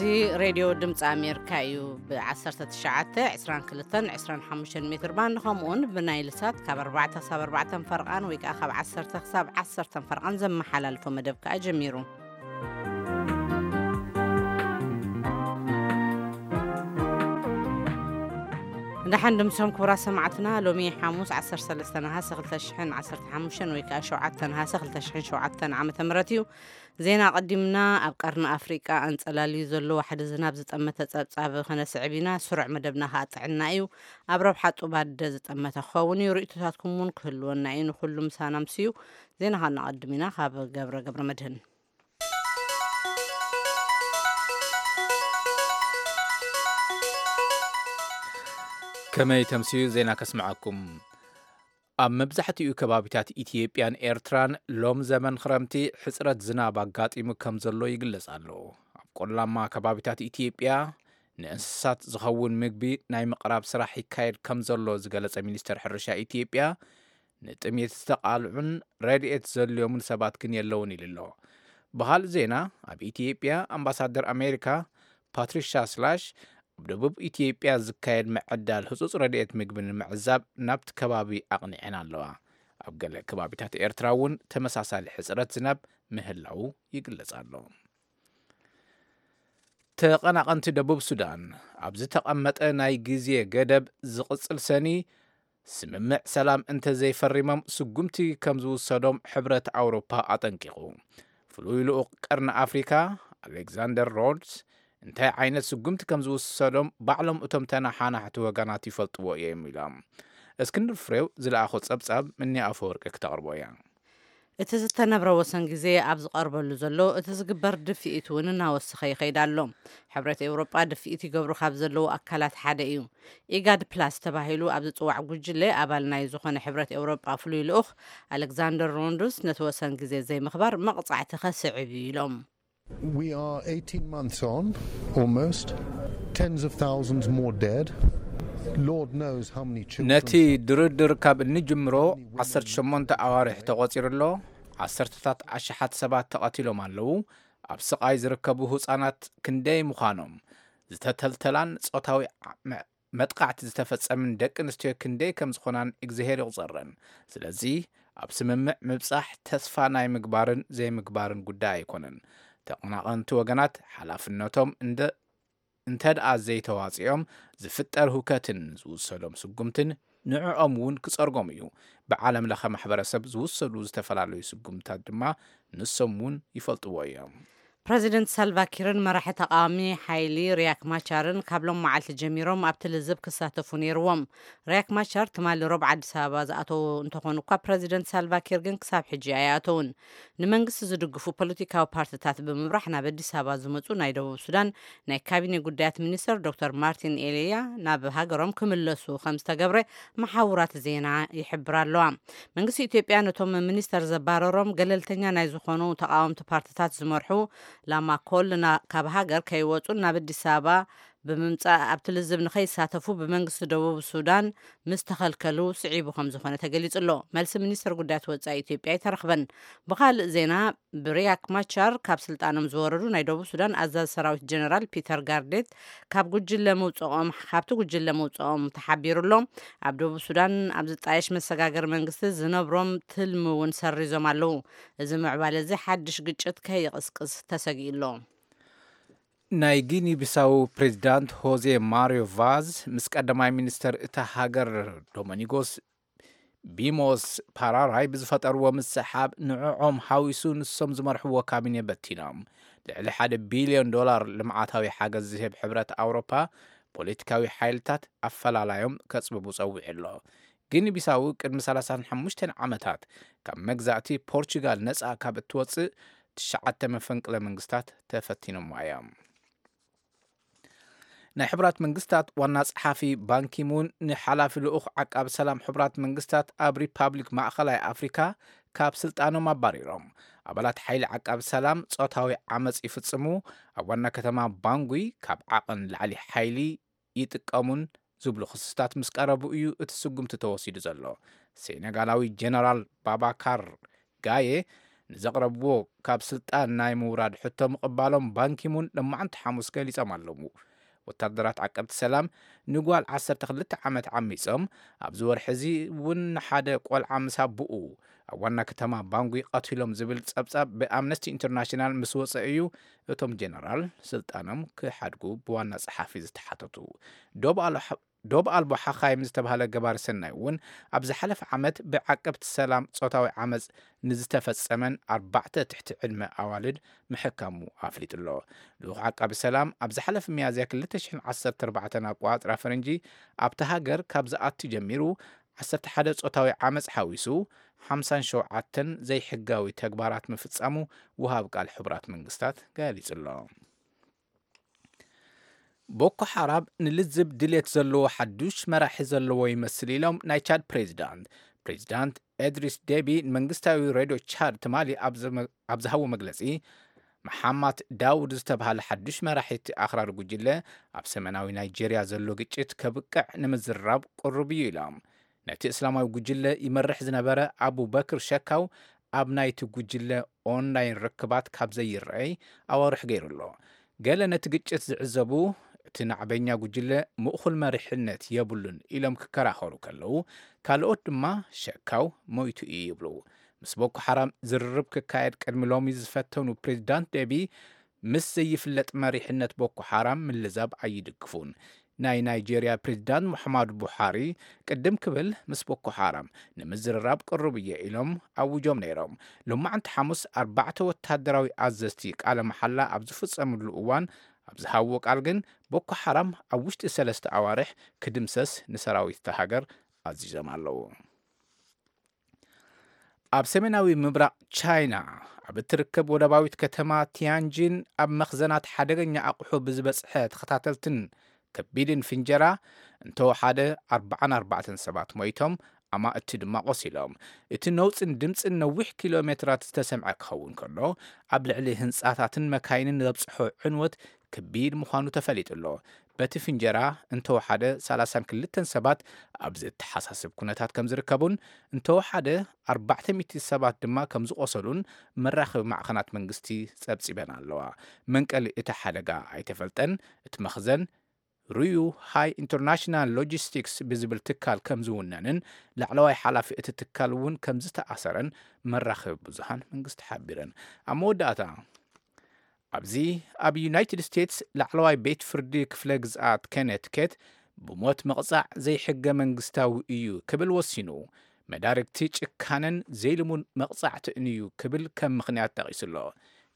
እዚ ሬድዮ ድምፂ ኣሜሪካ እዩ። ብ19፣ 22፣ 25 ሜትር ባንድ ከምኡውን ብናይል ሳት ካብ ኣርባዕተ ክሳብ ኣርባዕተ ፈርቓን ወይ ከዓ ካብ ዓሰርተ ክሳብ ዓሰርተ ፈርቓን ዘመሓላልፎ መደብ ከዓ ጀሚሩ። ደሓን ድምሶም ክቡራት ሰማዕትና፣ ሎሚ ሓሙስ ዓሰርተ ሰለስተ ነሃሰ ክልተ ሽሕን ዓሰርተ ሓሙሽተን ወይ ከዓ ሸውዓተ ነሃሰ ክልተ ሽሕን ሸውዓተን ዓመተ ምህረት እዩ። ዜና ኣቐዲምና። ኣብ ቀርኒ ኣፍሪቃ ኣንጸላልዩ ዘሎ ዋሕዲ ዝናብ ዝጠመተ ጸብጻብ ከነስዕብ ኢና። ስሩዕ መደብና ከኣ ጥዕና እዩ። ኣብ ረብሓ ጡብ ኣደ ዝጠመተ ክኸውን እዩ። ርእይቶታትኩም እውን ክህልወና እዩ። ንኹሉ ምሳና ምስዩ። ዜና ከነቐድም ኢና። ካብ ገብረ ገብረ መድህን። ከመይ ተምስዩ ዜና ከስምዓኩም። ኣብ መብዛሕትኡ ከባቢታት ኢትዮጵያን ኤርትራን ሎም ዘመን ክረምቲ ሕጽረት ዝናብ ኣጋጢሙ ከም ዘሎ ይግለጽ ኣሎ። ኣብ ቆላማ ከባቢታት ኢትዮጵያ ንእንስሳት ዝኸውን ምግቢ ናይ ምቕራብ ስራሕ ይካየድ ከም ዘሎ ዝገለጸ ሚኒስተር ሕርሻ ኢትዮጵያ፣ ንጥሜት ዝተቓልዑን ረድኤት ዘድልዮምን ሰባት ግን የለውን ኢሉ ኣሎ። ብኻልእ ዜና፣ ኣብ ኢትዮጵያ ኣምባሳደር ኣሜሪካ ፓትሪሻ ስላሽ፣ ኣብ ደቡብ ኢትዮጵያ ዝካየድ ምዕዳል ህጹጽ ረድኤት ምግቢ ንምዕዛብ ናብቲ ከባቢ ኣቕኒዐን ኣለዋ። ኣብ ገለ ከባቢታት ኤርትራ እውን ተመሳሳሊ ሕጽረት ዝናብ ምህላዉ ይግለጽ ኣሎ። ተቐናቐንቲ ደቡብ ሱዳን፣ ኣብ ዝተቐመጠ ናይ ግዜ ገደብ ዝቕጽል ሰኒ ስምምዕ ሰላም እንተዘይፈሪሞም ስጉምቲ ከም ዝውሰዶም ሕብረት ኣውሮፓ ኣጠንቂቑ። ፍሉይ ልኡኽ ቀርኒ ኣፍሪካ ኣሌክዛንደር ሮድስ፣ እንታይ ዓይነት ስጉምቲ ከም ዝውሰዶም ባዕሎም እቶም ተነሓናሕቲ ወገናት ይፈልጥዎ እዮም ኢሎም። እስክንድር ፍሬው ዝለኣኾ ጸብጻብ ምኒ ኣፈወርቂ ክተቕርቦ እያ። እቲ ዝተነብረ ወሰን ግዜ ኣብ ዝቐርበሉ ዘሎ፣ እቲ ዝግበር ድፍኢት እውን እናወሰኸ ይኸይድ ኣሎ። ሕብረት ኤውሮጳ ድፍኢት ይገብሩ ካብ ዘለዉ ኣካላት ሓደ እዩ። ኢጋድ ፕላስ ተባሂሉ ኣብ ዝጽዋዕ ጉጅለ ኣባል ናይ ዝኾነ ሕብረት ኤውሮጳ ፍሉይ ልኡኽ ኣሌክዛንደር ሮንዱስ፣ ነቲ ወሰን ግዜ ዘይምኽባር መቕጻዕቲ ከስዕብ እዩ ኢሎም። We are eighteen months on, almost. Tens of thousands more dead. Lord knows how many children ነቲ ድርድር ካብ እንጅምሮ ዓሰርተ ሸሞንተ ኣዋርሕ ተቖጺሩ ኣሎ። ዓሰርተታት ኣሽሓት ሰባት ተቐቲሎም ኣለዉ። ኣብ ስቓይ ዝርከቡ ህጻናት ክንደይ ምዃኖም፣ ዝተተልተላን ጾታዊ ዓ-፣ መ-፣ መጥቃዕቲ ዝተፈጸምን ደቂ ኣንስትዮ ክንደይ ከም ዝኾናን እግዚኣብሔር ይቑጸረን። ስለዚ ኣብ ስምምዕ ምብጻሕ ተስፋ ናይ ምግባርን ዘይምግባርን ጉዳይ ኣይኮነን። ተቐናቐንቲ ወገናት ሓላፍነቶም እንደ-፣ እንተ ደኣ ዘይተዋጺኦም ዝፍጠር ህውከትን ዝውሰዶም ስጉምትን ንዕኦም እውን ክጸርጎም እዩ። ብዓለም ለኸ ማሕበረሰብ ዝውሰዱ ዝተፈላለዩ ስጉምታት ድማ ንሶም እውን ይፈልጥዎ እዮም። ፕረዚደንት ሳልቫኪርን መራሒ ተቃዋሚ ሓይሊ ሪያክ ማቻርን ካብ ሎም መዓልቲ ጀሚሮም ኣብቲ ልዝብ ክሳተፉ ነይርዎም። ሪያክ ማቻር ትማሊ ሮብ ዓዲስ ኣበባ ዝኣተዉ እንተኾኑ እኳ፣ ፕረዚደንት ሳልቫኪር ግን ክሳብ ሕጂ ኣይኣተዉን። ንመንግስቲ ዝድግፉ ፖለቲካዊ ፓርትታት ብምብራሕ ናብ ኣዲስ ኣበባ ዝመጹ ናይ ደቡብ ሱዳን ናይ ካቢኔ ጉዳያት ሚኒስተር ዶክተር ማርቲን ኤልያ ናብ ሃገሮም ክምለሱ ከም ዝተገብረ መሓውራት ዜና ይሕብራ ኣለዋ። መንግስቲ ኢትዮጵያ ነቶም ሚኒስተር ዘባረሮም ገለልተኛ ናይ ዝኾኑ ተቃወምቲ ፓርትታት ዝመርሑ ላማኮል ና-፣ ካብ ሃገር ከይወጹን ናብ ኣዲስ ኣበባ ብምምጻእ ኣብቲ ልዝብ ንኸይሳተፉ ብመንግስቲ ደቡብ ሱዳን ምስ ተኸልከሉ ስዒቡ ከም ዝኾነ ተገሊጹ ኣሎ። መልሲ ሚኒስተር ጉዳያት ወጻኢ ኢትዮጵያ ኣይተረኽበን። ብኻልእ ዜና፣ ብሪያክ ማቻር ካብ ስልጣኖም ዝወረዱ ናይ ደቡብ ሱዳን ኣዛዚ ሰራዊት ጀነራል ፒተር ጋርዴት ካብ ጉጅለ ምውጽኦም፣ ካብቲ ጉጅለ ምውጽኦም ተሓቢሩ ኣሎ። ኣብ ደቡብ ሱዳን ኣብ ዝጣየሽ መሰጋገሪ መንግስቲ ዝነብሮም ትልሚ እውን ሰሪዞም ኣለዉ። እዚ ምዕባለ እዚ ሓድሽ ግጭት ከይቕስቅስ ተሰጊኡ ኣሎ። ናይ ጊኒ ቢሳው ፕሬዚዳንት ሆዜ ማሪዮ ቫዝ ምስ ቀዳማይ ሚኒስተር እታ ሃገር ዶሚኒጎስ ቢሞስ ፓራራይ ብዝፈጠርዎ ምስሓብ፣ ንዕኦም ሓዊሱ ንሶም ዝመርሕዎ ካቢኔ በቲኖም። ልዕሊ ሓደ ቢልዮን ዶላር ልምዓታዊ ሓገዝ ዝህብ ሕብረት ኣውሮፓ፣ ፖለቲካዊ ሓይልታት ኣፈላላዮም ከጽብቡ ጸዊዑ ኣሎ። ጊኒ ቢሳው ቅድሚ ሰላሳን ሓሙሽተን ዓመታት ካብ መግዛእቲ ፖርቹጋል ነጻ ካብ እትወጽእ፣ ትሽዓተ መፈንቅለ መንግስታት ተፈቲኖምዋ እዮም። ናይ ሕቡራት መንግስታት ዋና ጸሓፊ ባንኪሙን ንሓላፊ ልኡኽ ዓቃቢ ሰላም ሕቡራት መንግስታት ኣብ ሪፓብሊክ ማእኸላይ ኣፍሪካ ካብ ስልጣኖም ኣባሪሮም። ኣባላት ሓይሊ ዓቃቢ ሰላም ጾታዊ ዓመጽ ይፍጽሙ፣ ኣብ ዋና ከተማ ባንጉይ ካብ ዓቐን ላዕሊ ሓይሊ ይጥቀሙን ዝብሉ ክስታት ምስ ቀረቡ እዩ እቲ ስጉምቲ ተወሲዱ ዘሎ። ሴኔጋላዊ ጀነራል ባባካር ጋየ ንዘቕረብዎ ካብ ስልጣን ናይ ምውራድ ሕቶ ምቕባሎም ባንኪሙን ሎማዕንቲ ሓሙስ ገሊጾም ኣለዉ። ወታደራት ዓቀብቲ ሰላም ንጓል ዓሰርተ ክልተ ዓመት ዓሚጾም፣ ኣብዚ ወርሒ እዚ እውን ንሓደ ቆልዓ ምስ ኣቦኡ ኣብ ዋና ከተማ ባንጉ ቀቲሎም ዝብል ጸብጻብ ብኣምነስቲ ኢንተርናሽናል ምስ ወጸ እዩ እቶም ጀነራል ስልጣኖም ክሓድጉ ብዋና ጸሓፊ ዝተሓተቱ። ዶብ ኣልሓ- ዶብ ኣልቦ ሓኻይም ዝተባህለ ገባሪ ሰናይ እውን ኣብ ዝሓለፈ ዓመት ብዓቀብቲ ሰላም ጾታዊ ዓመጽ ንዝተፈጸመን ኣርባዕተ ትሕቲ ዕድመ ኣዋልድ ምሕካሙ ኣፍሊጡ ኣሎ። ልኡኽ ዓቃቢ ሰላም ኣብ ዝሓለፈ ሚያዝያ ክልተ ሽሕን ዓሰርተ ኣርባዕተን ኣቆጻጽራ ፈረንጂ ኣብታ ሃገር ካብ ዝኣቱ ጀሚሩ ዓሰርተ ሓደ ጾታዊ ዓመጽ ሓዊሱ ሓምሳን ሸውዓተን ዘይሕጋዊ ተግባራት ምፍጻሙ ውሃብ ቃል ሕቡራት መንግስታት ገሊጹ ኣሎ። ቦኮ ሓራም ንልዝብ ድሌት ዘለዎ ሓዱሽ መራሒ ዘለዎ ይመስል ኢሎም ናይ ቻድ ፕሬዚዳንት። ፕሬዚዳንት ኤድሪስ ዴቢ ንመንግስታዊ ሬድዮ ቻድ ትማሊ ኣብ ዝመ- ኣብ ዝሃቦ መግለጺ፣ መሓማት ዳውድ ዝተባህለ ሓዱሽ መራሒ እቲ ኣኽራሪ ጉጅለ ኣብ ሰሜናዊ ናይጄርያ ዘሎ ግጭት ከብቅዕ ንምዝራብ ቅሩብ እዩ ኢሎም። ነቲ እስላማዊ ጉጅለ ይመርሕ ዝነበረ ኣቡ በክር ሸካው ኣብ ናይቲ ጉጅለ ኦንላይን ርክባት ካብ ዘይረኣይ ኣዋርሕ ገይሩ ኣሎ። ገለ ነቲ ግጭት ዝዕዘቡ፣ እቲ ናዕበኛ ጉጅለ ምእኹል መሪሕነት የብሉን ኢሎም ክከራኸሩ ከለዉ፣ ካልኦት ድማ ሸካው ሞይቱ እዩ ይብሉ። ምስ ቦኮ ሓራም ዝርርብ ክካየድ ቅድሚ ሎሚ ዝፈተኑ ፕሬዚዳንት ዴቢ፣ ምስ ዘይፍለጥ መሪሕነት ቦኮ ሓራም ምልዛብ ኣይድግፉን። ናይ ናይጄርያ ፕሬዚዳንት ሙሓማዱ ቡሓሪ ቅድም ክብል ምስ ቦኮ ሓራም ንምዝርራብ ቅሩብ እየ ኢሎም ኣውጆም ነይሮም። ሎማዕንቲ ሓሙስ ኣርባዕተ ወታደራዊ ኣዘዝቲ ቃለ መሓላ ኣብ ዝፍጸምሉ እዋን ኣብ ዝሃብዎ ቃል ግን ቦኮ ሓራም ኣብ ውሽጢ ሰለስተ ኣዋርሕ ክድምሰስ ንሰራዊት እታ ሃገር ኣዚዞም ኣለዉ። ኣብ ሰሜናዊ ምብራቕ ቻይና ኣብ እትርከብ ወደባዊት ከተማ ቲያንጂን ኣብ መኽዘናት ሓደገኛ ኣቑሑ ብዝበጽሐ ተኸታተልትን ከቢድን ፍንጀራ እንተወሓደ ኣርባዓን ኣርባዕተን ሰባት ሞይቶም፣ ኣማእቲ ድማ ቆሲሎም። እቲ ነውጽን ድምጽን ነዊሕ ኪሎ ሜትራት ዝተሰምዐ ክኸውን ከሎ፣ ኣብ ልዕሊ ህንጻታትን መካይንን ዘብጽሖ ዕንወት ከቢድ ምዃኑ ተፈሊጡ ኣሎ። በቲ ፍንጀራ እንተወሓደ ሰላሳን ክልተን ሰባት ኣብ ዘተሓሳስብ ኩነታት ከም ዝርከቡን እንተወሓደ ኣርባዕተ ሚእቲ ሰባት ድማ ከም ዝቖሰሉን መራኸቢ ማዕኸናት መንግስቲ ጸብጺበን ኣለዋ። መንቀሊ እቲ ሓደጋ ኣይተፈልጠን። እቲ መኽዘን ሩዩ ሃይ ኢንተርናሽናል ሎጂስቲክስ ብዝብል ትካል ከም ዝውነንን ላዕለዋይ ሓላፊ እቲ ትካል እውን ከም ዝተኣሰረን መራኸቢ ብዙሃን መንግስቲ ሓቢረን። ኣብ መወዳእታ ኣብዚ ኣብ ዩናይትድ ስቴትስ ላዕለዋይ ቤት ፍርዲ ክፍለ ግዝኣት ኮነቲኬት ብሞት መቕጻዕ ዘይሕገ መንግስታዊ እዩ ክብል ወሲኑ። መዳርግቲ ጭካነን ዘይልሙን መቕጻዕትን እዩ ክብል ከም ምኽንያት ጠቒሱ ኣሎ።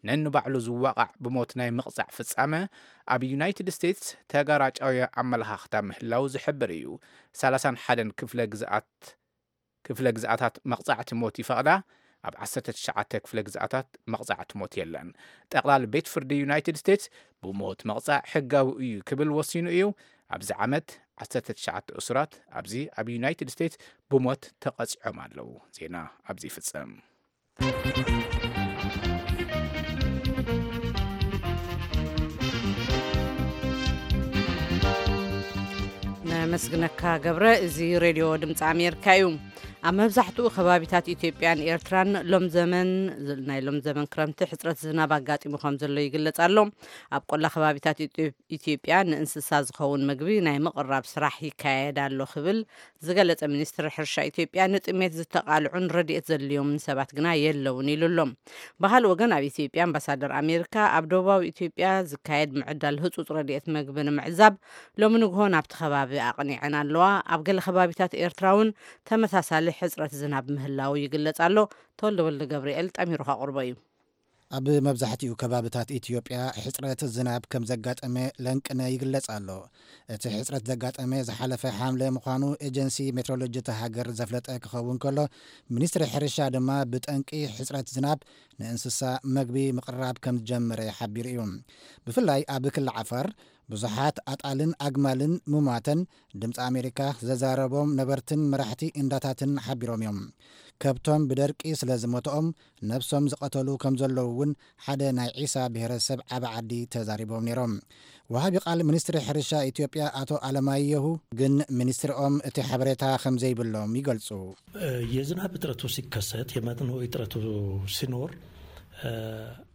ነንባዕሉ ዝዋቓዕ ብሞት ናይ ምቕጻዕ ፍጻመ ኣብ ዩናይትድ ስቴትስ ተጋራጫዊ ኣመለኻኽታ ምህላው ዝሕብር እዩ። ሰላሳን ሓደን ክፍለ ግዝኣት ክፍለ ግዝኣታት መቕጻዕቲ ሞት ይፈቕዳ። ኣብ ዓሰርተ ትሽዓተ ክፍለ ግዝኣታት መቕጻዕቲ ሞት የለን። ጠቕላሊ ቤት ፍርዲ ዩናይትድ ስቴትስ ብሞት መቕጻዕ ሕጋዊ እዩ ክብል ወሲኑ እዩ። ኣብዚ ዓመት ዓሰርተ ትሽዓተ እሱራት ኣብዚ ኣብ ዩናይትድ ስቴትስ ብሞት ተቐጺዖም ኣለዉ። ዜና ኣብዚ ይፍጸም። ነመስግነካ ገብረ። እዚ ሬድዮ ድምፂ ኣሜሪካ እዩ። ኣብ መብዛሕትኡ ከባቢታት ኢትዮጵያን ኤርትራን ሎም ዘመን ናይ ሎም ዘመን ክረምቲ ሕፅረት ዝናብ ኣጋጢሙ ከም ዘሎ ይግለጽ ኣሎ። ኣብ ቆላ ከባቢታት ኢትዮ- ኢትዮጵያ ንእንስሳ ዝኸውን ምግቢ ናይ ምቕራብ ስራሕ ይካየድ ኣሎ ክብል ዝገለጸ ሚኒስትሪ ሕርሻ ኢትዮጵያ፣ ንጥሜት ዝተቓልዑን ረድኤት ዘድልዮምን ሰባት ግና የለውን ኢሉ ኣሎ። ብኻልእ ወገን ኣብ ኢትዮጵያ ኣምባሳደር ኣሜሪካ ኣብ ደቡባዊ ኢትዮጵያ ዝካየድ ምዕዳል ህጹጽ ረድኤት ምግቢ ንምዕዛብ ሎሚ ንግሆ ናብቲ ከባቢ ኣቕኒዐን ኣለዋ። ኣብ ገለ ከባቢታት ኤርትራ እውን ተመሳሳሊ ሕጽረት ዝናብ ምህላው ይግለጽ ኣሎ። ተወልደ ወልደ ገብርኤል ጠሚሩ ከቕርቦ እዩ። ኣብ መብዛሕትኡ ከባብታት ኢትዮጵያ ሕጽረት ዝናብ ከም ዘጋጠመ ለንቅነ ይግለጽ ኣሎ። እቲ ሕጽረት ዘጋጠመ ዝሓለፈ ሓምለ ምዃኑ ኤጀንሲ ሜትሮሎጂ እታ ሃገር ዘፍለጠ ክኸውን ከሎ፣ ሚኒስትሪ ሕርሻ ድማ ብጠንቂ ሕጽረት ዝናብ ንእንስሳ መግቢ ምቕራብ ከም ዝጀመረ ሓቢሩ እዩ። ብፍላይ ኣብ ክሊ ዓፋር ብዙሓት ኣጣልን ኣግማልን ምሟተን ድምፂ ኣሜሪካ ዘዛረቦም ነበርትን መራሕቲ እንዳታትን ሓቢሮም እዮም። ከብቶም ብደርቂ ስለ ዝሞተኦም ነብሶም ዝቐተሉ ከም ዘለዉ እውን ሓደ ናይ ዒሳ ብሔረሰብ ዓቢ ዓዲ ተዛሪቦም ነይሮም። ወሃቢ ቃል ሚኒስትሪ ሕርሻ ኢትዮጵያ ኣቶ ኣለማየሁ ግን ሚኒስትሪኦም እቲ ሓበሬታ ከም ዘይብሎም ይገልጹ። የዝናብ እጥረቱ ሲከሰት የመጥኖ እጥረቱ ሲኖር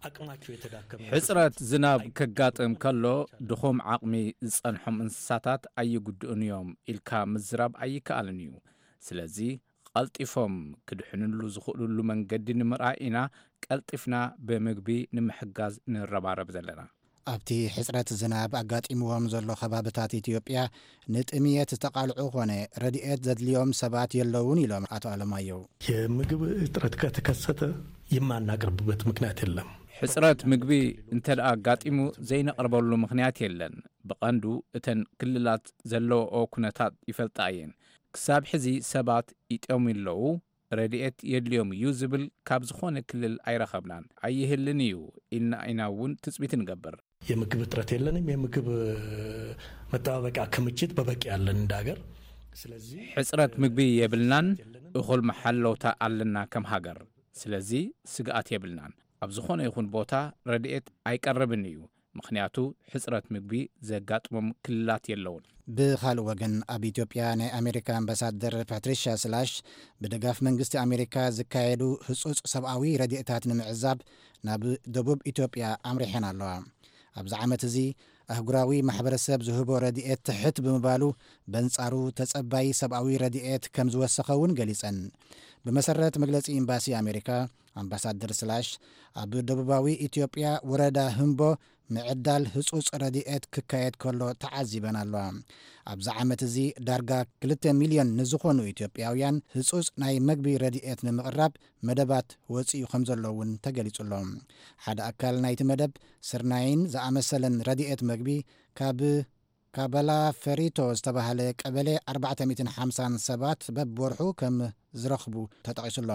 አቅማቸው የተዳከመ ሕፅረት ዝናብ ከጋጥም ከሎ ድኹም ዓቕሚ ዝጸንሖም እንስሳታት ኣይጉድኡን እዮም ኢልካ ምዝራብ ኣይከኣልን እዩ። ስለዚ ቀልጢፎም ክድሕንሉ ዝኽእሉሉ መንገዲ ንምርኣይ ኢና ቀልጢፍና ብምግቢ ንምሕጋዝ ንረባረብ ዘለና። ኣብቲ ሕፅረት ዝናብ ኣጋጢምዎም ዘሎ ከባብታት ኢትዮጵያ ንጥምየት ዝተቓልዑ ኾነ ረድኤት ዘድልዮም ሰባት የለውን ኢሎም ኣቶ ኣለማየሁ። የምግብ እጥረት ከተከሰተ የማናቅርብበት ምክንያት የለም። ሕፅረት ምግቢ እንተ ደኣ ኣጋጢሙ ዘይነቕርበሉ ምኽንያት የለን። ብቐንዱ እተን ክልላት ዘለዎኦ ኩነታት ይፈልጣ እየን። ክሳብ ሕዚ ሰባት ይጠምዩ ኣለዉ፣ ረድኤት የድልዮም እዩ ዝብል ካብ ዝኾነ ክልል ኣይረኸብናን። ኣይህልን እዩ ኢልና ኢና እውን ትፅቢት ንገብር። የምግብ እጥረት የለንም። የምግብ መጠባበቂያ ክምችት በበቂ ያለን እንደ ሀገር። ስለዚህ ሕፅረት ምግቢ የብልናን፣ እኹል መሓለውታ ኣለና ከም ሃገር። ስለዚ ስግኣት የብልናን። ኣብ ዝኾነ ይኹን ቦታ ረድኤት ኣይቀርብን እዩ፣ ምኽንያቱ ሕፅረት ምግቢ ዘጋጥሞም ክልላት የለውን። ብኻልእ ወገን ኣብ ኢትዮጵያ ናይ ኣሜሪካ ኣምባሳደር ፓትሪሻ ስላሽ ብደጋፍ መንግስቲ ኣሜሪካ ዝካየዱ ህጹጽ ሰብኣዊ ረድኤታት ንምዕዛብ ናብ ደቡብ ኢትዮጵያ ኣምሪሐን ኣለዋ። ኣብዚ ዓመት እዚ ኣህጉራዊ ማሕበረሰብ ዝህቦ ረድኤት ትሕት ብምባሉ በንጻሩ ተጸባይ ሰብኣዊ ረድኤት ከም ዝወሰኸ እውን ገሊጸን። ብመሰረት መግለጺ ኤምባሲ ኣሜሪካ ኣምባሳደር ስላሽ ኣብ ደቡባዊ ኢትዮጵያ ወረዳ ህምቦ ምዕዳል ህጹጽ ረድኤት ክካየድ ከሎ ተዓዚበን ኣለዋ። ኣብዚ ዓመት እዚ ዳርጋ ክልተ ሚልዮን ንዝኾኑ ኢትዮጵያውያን ህጹጽ ናይ መግቢ ረድኤት ንምቕራብ መደባት ወጺኡ ከም ዘሎ እውን ተገሊጹ ኣሎ። ሓደ ኣካል ናይቲ መደብ ስርናይን ዝኣመሰለን ረድኤት መግቢ ካብ ካበላ ፈሪቶ ዝተባህለ ቀበሌ ኣርባዕተ ሚእትን ሓምሳን ሰባት በብወርሑ ከም ዝረኽቡ ተጠቒሱ ኣሎ።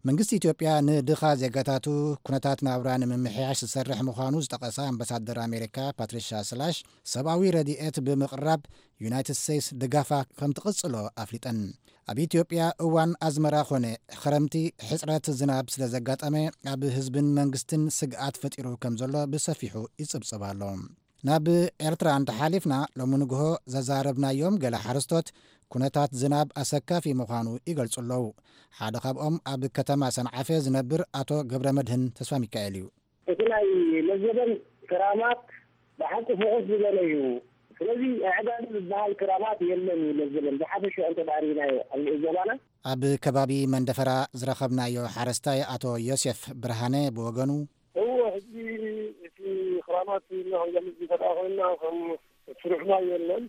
መንግስቲ ኢትዮጵያ ንድኻ ዜጋታቱ ኩነታት ናብራ ንምምሕያሽ ዝሰርሕ ምዃኑ ዝጠቐሳ ኣምባሳደር ኣሜሪካ ፓትሪሻ ስላሽ ሰብኣዊ ረድኤት ብምቕራብ ዩናይትድ ስቴትስ ድጋፋ ከም ትቕጽሎ ኣፍሊጠን። ኣብ ኢትዮጵያ እዋን ኣዝመራ ኾነ ኸረምቲ ሕፅረት ዝናብ ስለ ዘጋጠመ ኣብ ህዝብን መንግስትን ስግኣት ፈጢሩ ከም ዘሎ ብሰፊሑ ይጽብጽብ ኣሎ። ናብ ኤርትራ እንተሓሊፍና ሎሚ ንግሆ ዘዛረብናዮም ገለ ሓረስቶት ኩነታት ዝናብ ኣሰካፊ ምዃኑ ይገልጹ ኣለዉ። ሓደ ካብኦም ኣብ ከተማ ሰንዓፈ ዝነብር ኣቶ ገብረ መድህን ተስፋ ሚካኤል እዩ። እቲ ናይ ለዘበን ክራማት ብሓቂ ፍኹስ ዝበለ እዩ። ስለዚ ኣዕጋቢ ዝበሃል ክራማት የለን እዩ ለዘበን ብሓፈሻ እንተዳሪናዮ ኣብ ንእዘባና ኣብ ከባቢ መንደፈራ ዝረኸብናዮ ሓረስታይ ኣቶ ዮሴፍ ብርሃነ ብወገኑ፣ እዎ ሕጂ እቲ ክራማት ኢና ክንገልጽ ዝፈዳ ኮይና ከም ስሩሕና የለን።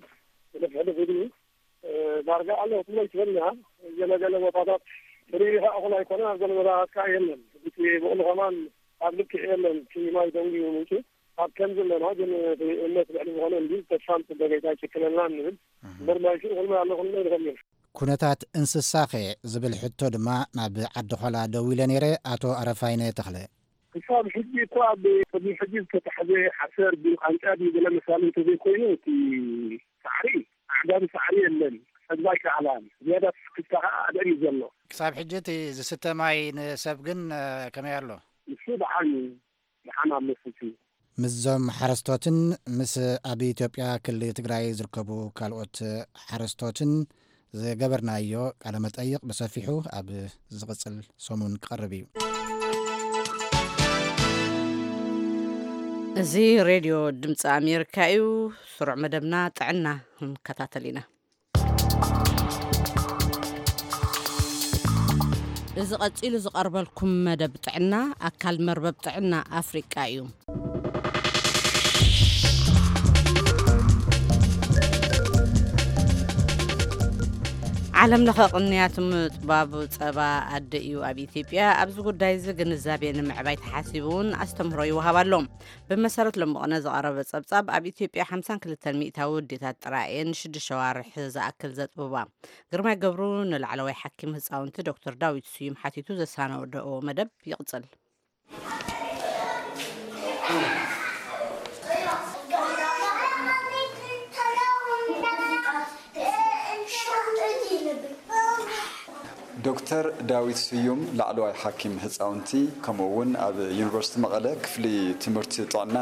ሕልፍ ሕልፍ ኢሉ ዳርጋ ኣሎ ክትብሎ ይትበልና። ገለገለ ቦታታት ፍርይ ከዓ እኹል ኣይኮነን። ኣብ ገለ ቦታታት ከዓ የለን። እቲ ብቕሉ ከማን ኣብ ልክዕ የለን። እቲ ማይ ደንጉዩ ምንጩ ኣብ ከም ዘለና ግን እቲ እምነት ልዕሊ ዝኾነ እንዲ ተስፋ ንፅበ ገይታ ይጭክነልና ንብል። እምበር ማይ ሽኡ ኩልና ኣሎ ኩልና ይድኸም እዩ። ኩነታት እንስሳኸ ዝብል ሕቶ ድማ ናብ ዓዲ ኾላ ደዊለ ነይረ ኣቶ ኣረፋይነ ተኽለ። ክሳብ ሕጂ እኮ ኣብ ቅድሚ ሕጂ ዝተታሕዘ ሓሰር ድዩ ቃንጫ ድዩ ገለ መሳሊ እንተዘይኮይኑ እቲ ሳዕሪ ኣዕጋቢ ሳዕሪ የለን። ክሰግባ ኣይከኣላን። ዝያዳ ትስክፍታ ከዓ ኣደር እዩ ዘሎ። ክሳብ ሕጂ እቲ ዝስተ ማይ ንሰብ ግን ከመይ ኣሎ? ንሱ ደሓን እዩ። ደሓን ኣሎ ስቲ። ምስዞም ሓረስቶትን ምስ ኣብ ኢትዮጵያ ክልል ትግራይ ዝርከቡ ካልኦት ሓረስቶትን ዝገበርናዮ ቃለ መጠይቕ ብሰፊሑ ኣብ ዝቕጽል ሰሙን ክቐርብ እዩ። እዚ ሬድዮ ድምፂ ኣሜሪካ እዩ። ስሩዕ መደብና ጥዕና ክንከታተል ኢና። እዚ ቀጺሉ ዝቐርበልኩም መደብ ጥዕና ኣካል መርበብ ጥዕና ኣፍሪቃ እዩ። ዓለም ለኸ ቅንያት ምጥባብ ጸባ ኣደ እዩ። ኣብ ኢትዮጵያ ኣብዚ ጉዳይ እዚ ግንዛቤ ንምዕባይ ተሓሲቡ እውን ኣስተምህሮ ይወሃብ ኣሎ። ብመሰረት ሎምቕነ ዝቐረበ ጸብጻብ ኣብ ኢትዮጵያ ሓምሳን ክልተን ሚእታዊ ኣዴታት ጥራይ እየን ንሽዱሽተ ኣዋርሕ ዝኣክል ዘጥብባ። ግርማይ ገብሩ ንላዕለዋይ ሓኪም ህፃውንቲ ዶክተር ዳዊት ስዩም ሓቲቱ ዘሳነደኦ መደብ ይቕፅል። ዶክተር ዳዊት ስዩም፣ ላዕለዋይ ሓኪም ህፃውንቲ፣ ከምኡ እውን ኣብ ዩኒቨርሲቲ መቐለ ክፍሊ ትምህርቲ ጥዕና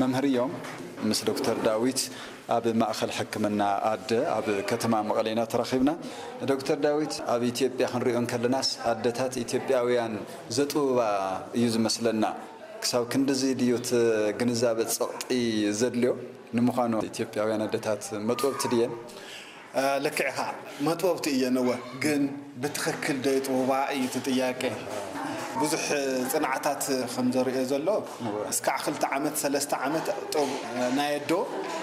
መምህር እዮም። ምስ ዶክተር ዳዊት ኣብ ማእኸል ሕክምና ኣደ ኣብ ከተማ መቐለ ኢና ተራኺብና። ዶክተር ዳዊት፣ ኣብ ኢትዮጵያ ክንሪኦ እንከለናስ ኣደታት ኢትዮጵያውያን ዘጥብባ እዩ ዝመስለና። ክሳብ ክንድዚ ድዩ እቲ ግንዛበ ጸቕጢ ዘድልዮ? ንምዃኑ ኢትዮጵያውያን ኣደታት መጥበብቲ ድየን? ልክዕኻ፣ መጥበብቲ እየን። እወ፣ ግን ብትኽክል ዶ ይጥውባ እዩ እቲ ጥያቄ። ብዙሕ ጽንዓታት ከም ዘርእዮ ዘሎ፣ እስካዕ ክልተ ዓመት ሰለስተ ዓመት ጥብ ናይ ኣዶ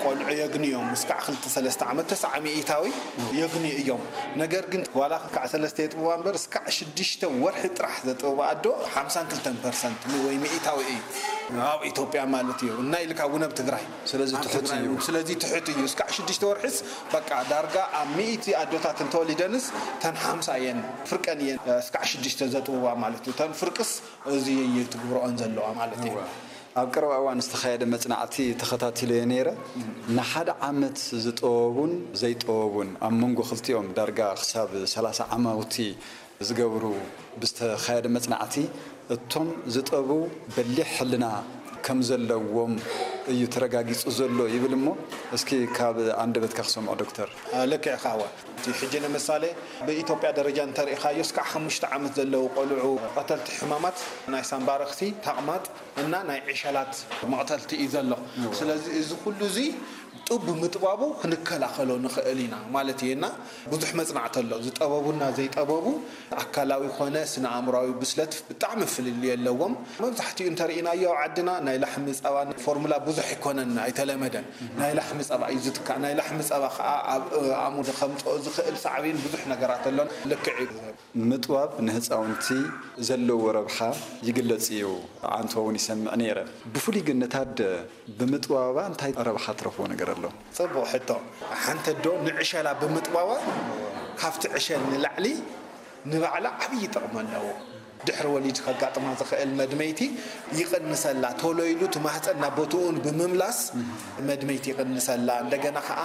ቆልዑ የግኒ እዮም። እስካዕ ክልተ ሰለስተ ዓመት ተስዓ ሚእታዊ የግኒ እዮም። ነገር ግን ዋላ ክልተ ሰለስተ የጥብዋ እምበር፣ እስካዕ ሽዱሽተ ወርሒ ጥራሕ ዘጥብባ ኣዶ ሓምሳን ክልተን ፐርሰንት ወይ ሚእታዊ እዩ ኣብ ኢትዮጵያ ማለት እዩ። እና ኢልካ እውን ኣብ ትግራይ ስለዚ ትሑት እዩ። ስለዚ ትሑት እዩ። እስካዕ ሽዱሽተ ወርሒስ በቃ ዳርጋ ኣብ ሚእቲ ኣዶታት እንተወሊደንስ ተን ሓምሳ እየን፣ ፍርቀን እየን እስካዕ ሽዱሽተ ዘጥብዋ ማለት እዩ። ተን ፍርቅስ እዚ እዩ ትግብረኦን ዘለዋ ማለት እዩ። ኣብ ቀረባ እዋን ዝተኻየደ መጽናዕቲ ተኸታቲለዮ ነይረ። ንሓደ ዓመት ዝጠበቡን ዘይጠበቡን ኣብ መንጎ ክልቲኦም ዳርጋ ክሳብ ሰላሳ ዓማውቲ ዝገብሩ ብዝተኻየደ መጽናዕቲ፣ እቶም ዝጠቡ በሊሕ ሕልና ከም ዘለዎም እዩ ተረጋጊጹ ዘሎ ይብል። እሞ እስኪ ካብ ኣንደበትካ ክሰምዖ ዶክተር። ልክዕ ካዋ እቲ ሕጂ ንምሳሌ ብኢትዮጵያ ደረጃ እንተሪኢኻዮ እስካዕ ሓሙሽተ ዓመት ዘለዉ ቆልዑ ቀተልቲ ሕማማት ናይ ሳምባ ረኽሲ፣ ተቕማጥ እና ናይ ዕሸላት መቕተልቲ እዩ ዘሎ። ስለዚ እዚ ኩሉ እዚ ጡብ ብምጥባቡ ክንከላኸሎ ንኽእል ኢና ማለት እዩ። እና ብዙሕ መጽናዕቲ ኣሎ። ዝጠበቡና ዘይጠበቡ ኣካላዊ ኮነ ስነ ኣእምራዊ ብስለት ብጣዕሚ ፍልልይ ኣለዎም። መብዛሕትኡ እንተርኢናዮ ኣብ ዓድና ናይ ላሕሚ ጸባ ፎርሙላ ብዙሕ ኣይኮነን፣ ኣይተለመደን። ናይ ላሕሚ ጸባ እዩ ዝትካእ። ናይ ላሕሚ ጸባ ከዓ ኣብ ኣእምሮ ከምፅኦ ዝኽእል ሳዕቤን ብዙሕ ነገራት ኣሎ። ልክዕ እዩ። ምጥባብ ንህፃውንቲ ዘለዎ ረብሓ ይግለጽ እዩ። ኣንቶ እውን ይሰምዕ ነይረ። ብፍሉይ ግን ነታ ኣደ ብምጥባባ እንታይ ረብሓ ትረኽቦ ነገር ኣሎ? ጽቡቕ ሕቶ። ሓንቲ ኣዶ ንዕሸላ ብምጥባባ ካብቲ ዕሸል ንላዕሊ ንባዕላ ዓብዪ ጥቕሚ ኣለዎ። ድሕሪ ወሊድ ከጋጥማ ዝኽእል መድመይቲ ይቕንሰላ። ቶሎ ኢሉ እቲ ማህፀን ናብ ቦትኡን ብምምላስ መድመይቲ ይቕንሰላ። እንደገና ከዓ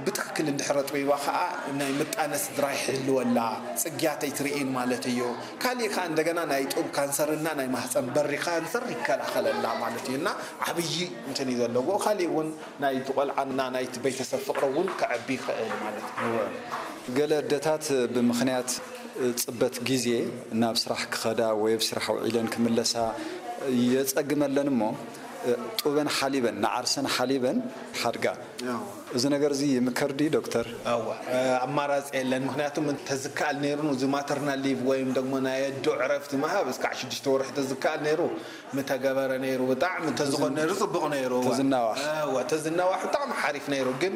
ብትክክል እንድሕር ኣጥቢባ ከዓ ናይ ምጣነ ስድራ ይሕልወላ። ፅግያት ኣይትርእን ማለት እዩ። ካሊእ ከዓ እንደገና ናይ ጡብ ካንሰር እና ናይ ማህፀን በሪ ካንሰር ይከላኸለላ ማለት እዩ። እና ዓብዪ እንትን እዩ ዘለዎ። ካሊእ እውን ናይቲ ቆልዓ እና ናይቲ ቤተሰብ ፍቅሪ እውን ከዕቢ ይኽእል ማለት እዩ። ገለ ኣደታት ብምኽንያት ፅበት ግዜ ናብ ስራሕ ክኸዳ ወይ ኣብ ስራሕ ውዒለን ክምለሳ የፀግመለን እሞ ጡበን ሓሊበን ንዓርሰን ሓሊበን ሓድጋ። እዚ ነገር እዚ ይምከር ድዩ ዶክተር? ኣዋ ኣማራፂ የለን። ምክንያቱም እንተዝከኣል ነይሩ እዚ ማተርናል ሊቭ ወይም ደግሞ ናይ ኣዶ ዕረፍቲ ምሃብ እስካዕ ሽዱሽተ ወርሒ ተዝከኣል ነይሩ ምተገበረ ነይሩ። ብጣዕሚ እንተዝኾን ነይሩ ፅቡቕ ነይሩ። እዋ። ተዝናዋሕ። እዋ ተዝናዋሕ ብጣዕሚ ሓሪፍ ነይሩ። ግን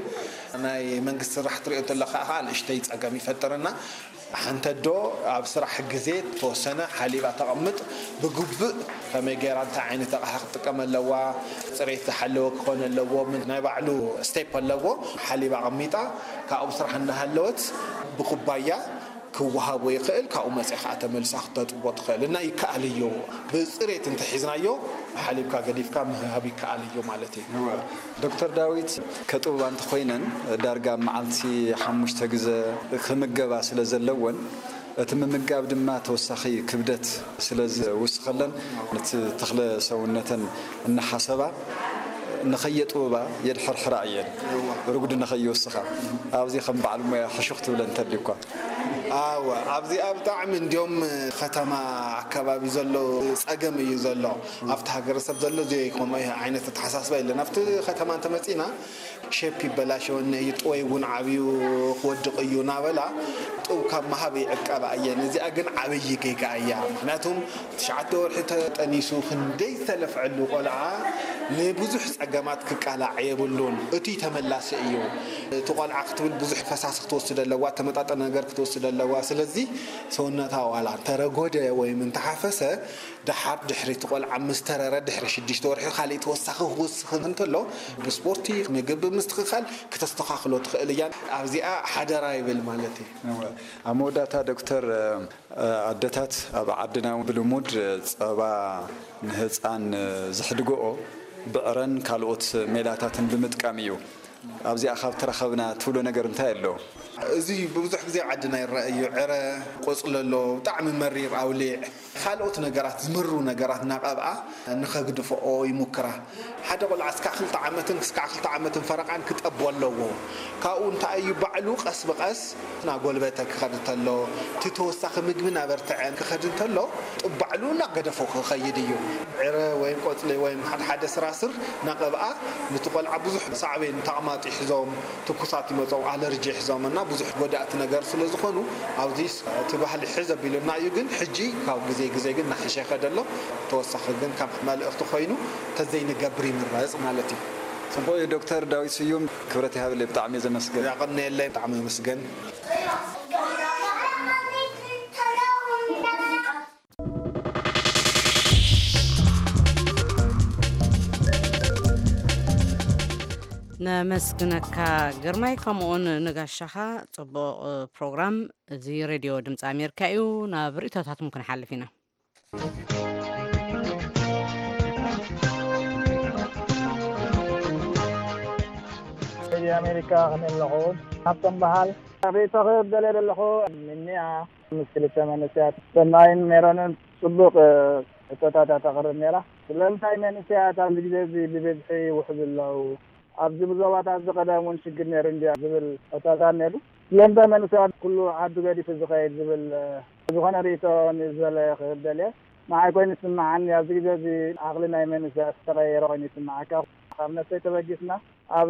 ናይ መንግስቲ ስራሕ ትሪኦ እንተለካ ከዓ ንእሽተይ ፀገም ይፈጥርና። ሓንቲ ኣዶ ኣብ ስራሕ ግዜ ተወሰነ ሓሊባ ተቐምጥ ብግቡእ ከመይ ገይራ እንታይ ዓይነት ኣቕሓ ክትጥቀም ኣለዋ፣ ፅሬት ዝሓለወ ክኾን ኣለዎ። ምን ናይ ባዕሉ ስቴፕ ኣለዎ። ሓሊባ ኣቐሚጣ ካብኡ ስራሕ እናሃለወት ብኩባያ ክወሃቦ ይኽእል። ካብኡ መፂኣ ከዓ ተመልሳ ክተጥቦ ትኽእል እና ይከኣል እዩ። ብፅሬት እንተሒዝናዮ ሓሊብካ ገዲፍካ ምህሃብ ይከኣል እዩ ማለት እዩ። ዶክተር ዳዊት፣ ከጥብባ እንተኾይነን ዳርጋ ኣብ መዓልቲ ሓሙሽተ ግዘ ክምገባ ስለ ዘለወን እቲ ምምጋብ ድማ ተወሳኺ ክብደት ስለ ዝውስኸለን ነቲ ተኽለ ሰውነተን እናሓሰባ ንኸየጥብባ የድሕርሕራ እየን። ርጉድ ንኸይወስኻ ኣብዚ ከም በዓል ሞያ ሕሹኽ ትብለን እንተልዩ እኳ። ኣወ ኣብዚኣ ብጣዕሚ እንዲዮም ከተማ ኣካባቢ ዘሎ ፀገም እዩ ዘሎ። ኣብቲ ሃገረሰብ ዘሎ እዚ ከምኡ ዓይነት ኣተሓሳስባ የለን። ኣብቲ ከተማ እንተመፂና ሼፕ ይበላሸወኒ እዩ፣ ጥወይ እውን ዓብዩ ክወድቕ እዩ እናበላ ጡብ ካብ ምሃብ ይዕቀባ እየን። እዚኣ ግን ዓብዪ ጌጋ እያ። ምክንያቱም ትሽዓተ ወርሒ ተጠኒሱ ክንደይ ዝተለፍዐሉ ቆልዓ ንብዙሕ ፀገማት ክቃላዕ የብሉን። እቱይ ተመላሲ እዩ። እቲ ቆልዓ ክትብል ብዙሕ ፈሳሲ ክትወስድ ኣለዋ፣ ተመጣጠነ ነገር ክትወስድ ኣለዋ። ስለዚ ሰውነታ ዋላ እንተረጎደ ወይም እንተሓፈሰ ደሓር ድሕሪ እቲ ቆልዓ ምስ ተረረ ድሕሪ ሽዱሽተ ወርሒ ካልእ ተወሳኺ ክውስኽ እንተሎ ብስፖርቲ ምግቢ ምስትኽኻል ክተስተኻኽሎ ትኽእል እያ። ኣብዚኣ ሓደራ ይብል ማለት እዩ። ኣብ መወዳእታ ዶክተር፣ ኣደታት ኣብ ዓድና ብልሙድ ጸባ ንህፃን ዝሕድገኦ ብዕረን ካልኦት ሜላታትን ብምጥቃም እዩ። ኣብዚኣ ካብ ተረኸብና ትብሎ ነገር እንታይ ኣሎ? እዚ ብብዙሕ ግዜ ኣብ ዓድና ይረአ እዩ። ዕረ፣ ቆጽሊ ኣሎ፣ ብጣዕሚ መሪር ኣውሊዕ፣ ካልኦት ነገራት፣ ዝምሩ ነገራት እናቐብኣ ንኸግድፍኦ ይሙክራ። ሓደ ቆልዓ እስካዕ ክልተ ዓመትን እስካዕ ክልተ ዓመትን ፈረቓን ክጠቦ ኣለዎ። ካብኡ እንታይ እዩ፣ ባዕሉ ቀስ ብቐስ እናጎልበተ ክኸድ እንተሎ፣ እቲ ተወሳኺ ምግቢ እናበርትዐ ክኸድ እንተሎ፣ ባዕሉ እናገደፎ ክኸይድ እዩ። ዕረ ወይም ቆጽሊ ወይም ሓደ ሓደ ስራስር እናቐብኣ፣ ነቲ ቆልዓ ብዙሕ ሳዕቤን፣ ተቕማጥ ይሕዞም፣ ትኩሳት ይመጾም፣ ኣለርጂ ይሕዞም እና ብዙሕ ጎዳእቲ ነገር ስለ ዝኾኑ፣ ኣብዚ እቲ ባህሊ ሕዝ ኣቢሉና እዩ። ግን ሕጂ ካብ ግዜ ግዜ ግን እናሐሸ ይኸደ ኣሎ። ተወሳኺ ግን ከም መልእኽቲ ኮይኑ ተዘይንገብር ይምረጽ ማለት እዩ። ጽቡቕ እዩ። ዶክተር ዳዊት ስዩም፣ ክብረት ይሃብለይ፣ ብጣዕሚ እየ ዘመስግን። ያቐንየለይ፣ ብጣዕሚ ኣመስገን። ነመስግነካ ግርማይ፣ ከምኡውን ንጋሻኻ። ጽቡቕ ፕሮግራም። እዚ ሬድዮ ድምፂ ኣሜሪካ እዩ። ናብ ርእቶታትኩም ክንሓልፍ ኢና። ሬድዮ ኣሜሪካ፣ ከመይ ኣለኹም? ሃብቶም በሃል። ርእይቶ ክህብ ደልየ ዘለኹ፣ ምንያ ምስ ክልተ መንእሰያት ሰናይን ሜሮንን ጽቡቕ ሕቶታት እያ ተቕርብ ነይራ። ስለምንታይ መንእሰያት ኣብዚ ግዜ እዚ ብብዝሒ ይውሕዙ ኣለዉ? ኣብዚ ብዞባታት እዚ ቀደም እውን ሽግር ነይሩ እንድያ ዝብል ሕቶታት ነይሩ። ስለምንታይ መንእሰያት ኩሉ ዓዱ ገዲፉ ዝኸይድ ዝብል ዝኾነ ርእይቶ ንዝበለ ክህብ ደልየ። ንዓይ ኮይኑ ዝስምዓኒ ኣብዚ ግዜ እዚ ዓቕሊ ናይ መንእሰያት ዝተቐየረ ኮይኑ ይስምዓካ። ካብ ነብሰይ ተበጊስና ኣብ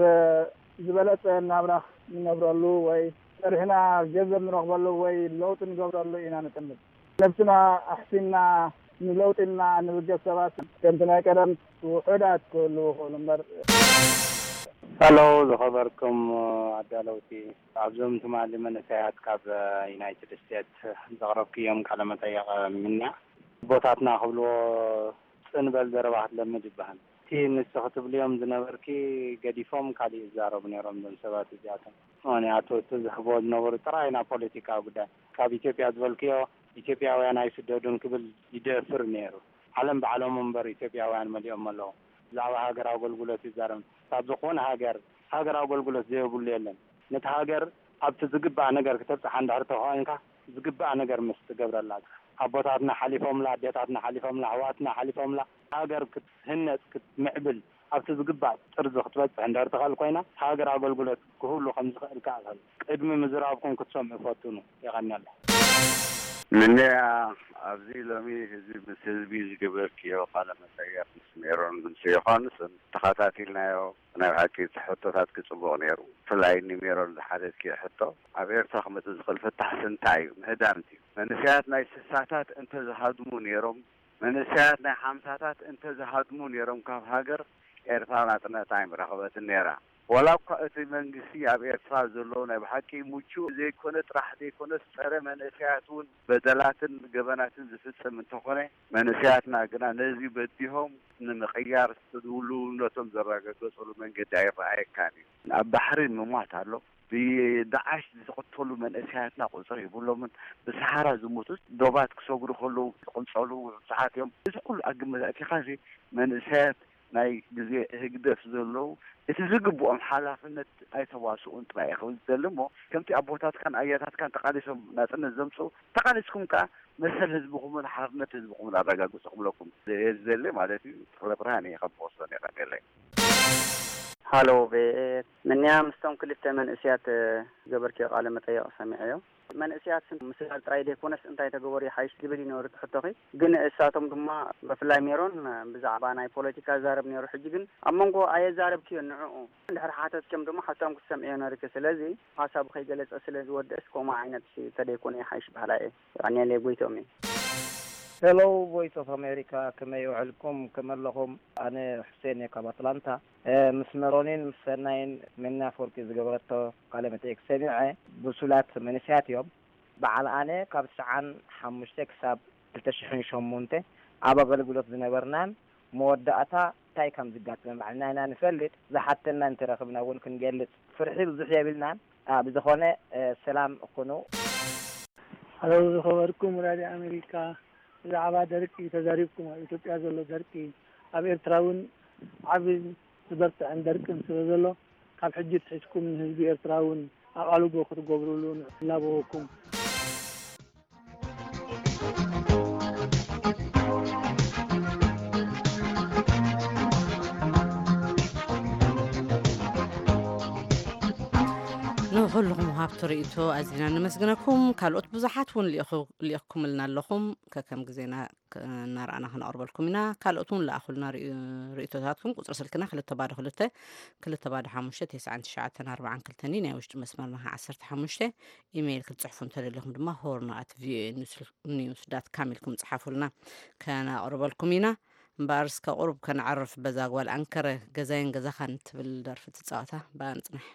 ዝበለጸ ናብራ ንነብረሉ ወይ ጸኒሕና ገንዘብ ንረኽበሉ ወይ ለውጢ ንገብረሉ ኢና ንጥምት። ነብስና ኣሕሲንና ንለውጢ ኢልና ንብገስ ሰባት ከምቲ ናይ ቀደም ውሑዳት ክህልዉ ይኽእሉ እምበር። ሄሎ ዝኸበርኩም ኣዳለውቲ፣ ኣብዞም ትማሊ መንእሰያት ካብ ዩናይትድ ስቴትስ ዘቕረብክዮም ቃለ መጠይቕ ምንያ ኣቦታትና ክብልዎ ጽን በል ዘረባ ክትለምድ ይበሃል። እቲ ንስኺ ትብልዮም ዝነበርኪ ገዲፎም ካሊእ ይዛረቡ ነይሮም እዞም ሰባት እዚኣቶም። ምኽንያቱ እቲ ዝሕብዎ ዝነበሩ ጥራይ ናብ ፖለቲካዊ ጉዳይ ካብ ኢትዮጵያ ዝበልክዮ ኢትዮጵያውያን ኣይስደዱን ክብል ይደፍር ነይሩ። ዓለም ባዕሎም እምበር ኢትዮጵያውያን መሊኦም ኣለዉ። ብዛዕባ ሃገር ኣገልግሎት ይዛረብ። ካብ ዝኾነ ሃገር ሃገር ኣገልግሎት ዘይብሉ የለን። ነቲ ሃገር ኣብቲ ዝግባእ ነገር ክተብጽሓ እንድሕር ተኾይንካ ዝግባእ ነገር ምስ ትገብረላ ኣቦታትና ሓሊፎምላ፣ ኣዴታትና ሓሊፎምላ፣ ኣሕዋትና ሓሊፎምላ ሃገር ክትህነጽ ክትምዕብል ኣብቲ ዝግባእ ጥርዚ ክትበጽሕ እንድሕር ትኽእል ኮይና ሃገር ኣገልግሎት ክህሉ ከም ዝኽእል ከኣ ቅድሚ ምዝራብኩም ክትሰምዑ ፈትኑ። የቐንየለይ። ምንያ ኣብዚ ሎሚ ህዝቢ ምስ ህዝቢ ዝገበርክዮ ቃለ መጠየቕ ምስ ሜሮን ምስ ዮሃንስን ተኸታቲልናዮ። ናይ ብሓቂ እቲ ሕቶታት ክጽቡቕ ነይሩ። ብፍላይ ንሜሮን ዝሓተትክዮ ሕቶ ኣብ ኤርትራ ክመጽእ ዝኽእል ፍታሕሲ እንታይ እዩ? ምህዳም ድዩ? መንእሰያት ናይ ስሳታት እንተዝሃድሙ ነይሮም መንእሰያት ናይ ሓምሳታት እንተዝሃድሙ ነይሮም ካብ ሃገር ኤርትራ ናጽነታ ኣይምረኸበትን ነይራ። ዋላ እኳ እቲ መንግስቲ ኣብ ኤርትራ ዘሎ ናይ ብሓቂ ምቹእ ዘይኮነ ጥራሕ ዘይኮነስ ጸረ መንእሰያት እውን በደላትን ገበናትን ዝፍጽም እንተኾነ መንእሰያትና ግና ነዚ በዲሆም ንምቕያር ድልውነቶም ዘረጋገጹሉ መንገዲ ኣይረኣየካን እዩ። ኣብ ባሕሪ ምሟት ኣሎ። ብዳዓሽ ዝቕተሉ መንእሰያትና ቁጽሪ የብሎምን። ብሰሓራ ዝሞቱ ዶባት ክሰግሩ ከለዉ ዝቕንጸሉ ብዙሓት እዮም። እዚ ኩሉ ኣብ ግምት ኣእቲኻሲ መንእሰያት ናይ ግዜ ህግደፍ ዘለዉ እቲ ዝግብኦም ሓላፍነት ኣይተዋስኡን ጥራይ እየ ክብል ዝደሊ እሞ ከምቲ ኣቦታትካን ኣያታትካን ተቓሊሶም ናጽነት ዘምጽኡ ተቓሊስኩም ከኣ መሰል ህዝብኹምን ሓርነት ህዝብኹምን ኣረጋግጹ ክብለኩም እየ ዝደሊ ማለት እዩ። ተኽለ ብርሃን እየ ካብ ቦስቶን የቐንየለይ። ሃሎ ቪኦኤ፣ ምንያ ምስቶም ክልተ መንእስያት ዝገበርክዮ ቃለ መጠየቕ ሰሚዐዮ። መንእስያት ምስላል ጥራይ ዘይኮነስ እንታይ ተገበሩ ይሓይሽ ዝብል እዩ ነይሩ እቲ ሕቶኺ። ግን እሳቶም ድማ ብፍላይ ሜሮን ብዛዕባ ናይ ፖለቲካ ይዛረብ ነይሩ። ሕጂ ግን ኣብ መንጎ ኣየዛረብክዮን ንዕኡ እንድሕር ሓተትክዮም ድማ ሕቶም ክትሰምዕዮ ነይሩኪ። ስለዚ ሓሳቡ ከይገለጸ ስለ ዝወድእስ ከምኡ ዓይነት ተደይኮነ ይሓይሽ በሃላይ እየ። የቐንየለይ፣ ጎይትኦም እየ። ሄሎ ቮይስ ኦፍ ኣሜሪካ፣ ከመይ ውዕልኩም? ከመይ ኣለኹም? ኣነ ሑሴን እየ ካብ ኣትላንታ። ምስ መሮኒን ምስ ሰናይን መኒ ኣፈወርቂ ዝገበረቶ ቃለ መጠይቅ ሰሚዐ። ብሱላት መንእሰያት እዮም። በዓል ኣነ ካብ ትስዓን ሓሙሽተ ክሳብ ክልተ ሽሕን ሸሞንተ ኣብ ኣገልግሎት ዝነበርናን መወዳእታ እንታይ ከም ዝጋጥመ ባዕልና ኢና ንፈልጥ። ዝሓተና እንተረኽብና እውን ክንገልጽ ፍርሒ ብዙሕ የብልናን። ብዝኾነ ሰላም ኩኑ። ሃሎ ዝኸበርኩም ራድዮ ኣሜሪካ፣ ብዛዕባ ደርቂ ተዛሪብኩም፣ ኣብ ኢትዮጵያ ዘሎ ደርቂ፣ ኣብ ኤርትራ እውን ዓብን ዝበርትዕን ደርቅን ስለ ዘሎ፣ ኣብ ሕጂ ትሒዝኩም ንህዝቢ ኤርትራ እውን ኣቓልቦ ክትገብሩሉ ንላበወኩም። ንኹልኹም ሃብቲ ርእይቶ ኣዚና ነመስግነኩም። ካልኦት ብዙሓት እውን ልኢኹ- ልኢኽኩምልና ኣለኹም። ከከም ግዜና ክ- እናረኣና ክነቕርበልኩም ኢና። ካልኦት እውን ለኣኹልና ርእዩ- ርእይቶታትኩም። ቁፅሪ ስልክና ክልተ ባዶ ክልተ፣ ክልተ ባዶ ሓሙሽተ፣ ተስዓን ትሽዓተን ኣርባዓን ክልተን እዩ። ናይ ውሽጢ መስመርና ከዓ ዓሰርተ ሓሙሽተ። ኢሜይል ክትፅሕፉ እንተደሊኹም ድማ ሆርና ኣት ቪኦኤ ኒውስ ዳት ካም ኢልኩም ፅሓፉልና፣ ከነቕርበልኩም ኢና። እምበኣር እስከ ቁሩብ ከነዕርፍ፣ በዛ ጓል ኣንከረ ገዛይን ገዛኻን ትብል ደርፊ ትፃወታ። ብኣ ንፅናሕ።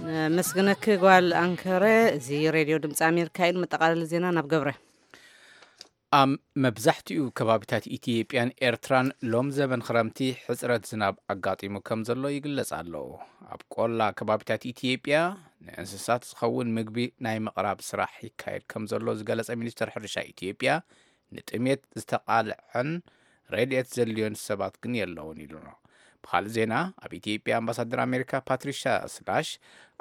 ነመስግነኪ ጓል ኣንከረ። እዚ ሬድዮ ድምፂ ኣሜሪካ እዩ። ንመጠቓለሊ ዜና ናብ ገብረ። ኣብ መብዛሕትኡ ከባቢታት ኢትዮጵያን ኤርትራን ሎም ዘበን ክረምቲ ሕጽረት ዝናብ ኣጋጢሙ ከም ዘሎ ይግለጽ ኣሎ። ኣብ ቆላ ከባቢታት ኢትዮጵያ ንእንስሳት ዝኸውን ምግቢ ናይ ምቕራብ ስራሕ ይካየድ ከም ዘሎ ዝገለጸ ሚኒስተር ሕርሻ ኢትዮጵያ፣ ንጥሜት ዝተቓልዐን ረድኤት ዘድልዮን ሰባት ግን የለውን ኢሉ ኣሎ። ብኻልእ ዜና፣ ኣብ ኢትዮጵያ ኣምባሳደር ኣሜሪካ ፓትሪሻ ስላሽ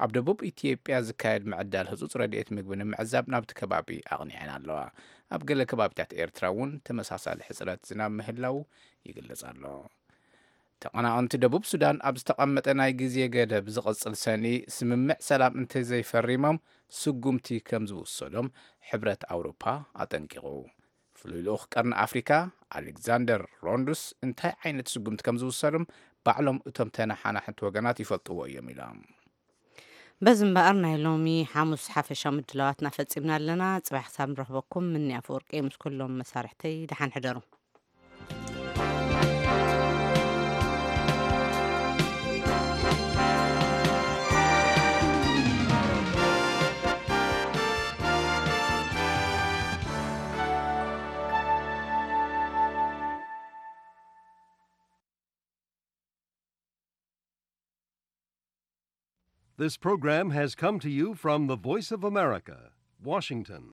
ኣብ ደቡብ ኢትዮጵያ ዝካየድ ምዕዳል ህጹጽ ረድኤት ምግቢ ንምዕዛብ ናብቲ ከባቢ ኣቕኒዐን ኣለዋ። ኣብ ገለ ከባቢታት ኤርትራ እውን ተመሳሳሊ ሕጽረት ዝናብ ምህላው ይግለጽ ኣሎ። ተቐናቐንቲ ደቡብ ሱዳን ኣብ ዝተቐመጠ ናይ ግዜ ገደብ ዝቕጽል ሰኒ ስምምዕ ሰላም እንተዘይፈሪሞም ስጉምቲ ከም ዝውሰዶም ሕብረት ኣውሮፓ ኣጠንቂቑ። ፍሉይ ልኡኽ ቀርኒ ኣፍሪካ ኣሌክዛንደር ሮንዱስ እንታይ ዓይነት ስጉምቲ ከም ዝውሰዶም ባዕሎም እቶም ተነሓናሕቲ ወገናት ይፈልጥዎ እዮም ኢሎም። በዚ እምበኣር ናይ ሎሚ ሓሙስ ሓፈሻዊ ምድላዋትና ፈጺምና ኣለና። ጽባሕ ክሳብ ንረኽበኩም ምኒ ኣፈወርቂ ምስ ኩሎም መሳርሕተይ ደሓን ሕደሩ። This program has come to you from the Voice of America, Washington.